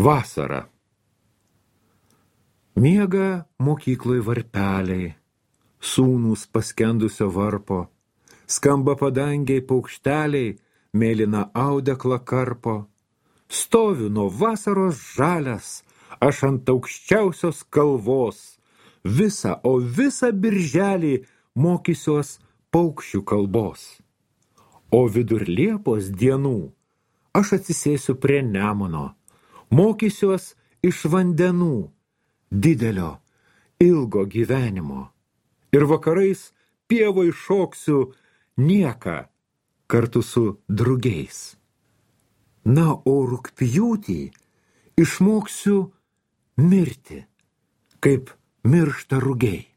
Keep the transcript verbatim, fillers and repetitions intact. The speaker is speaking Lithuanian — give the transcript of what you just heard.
Vasara. Miega mokykloj varpeliai, sūnūs paskendusio varpo, skamba padangiai paukšteliai, mėlyna audeklą karpo. Stoviu nuo vasaros žalias, aš ant aukščiausios kalvos, visą, o visą birželį mokysiuos paukščių kalbos. O vidur Liepos dienų aš atsisėsiu prie Nemuno, mokysiuos iš vandenų didelio, ilgo gyvenimo. Ir vakarais pievoj šoksiu nieką kartu su drugiais. Na, o rugpjūtį išmoksiu mirti, kaip miršta rugiai.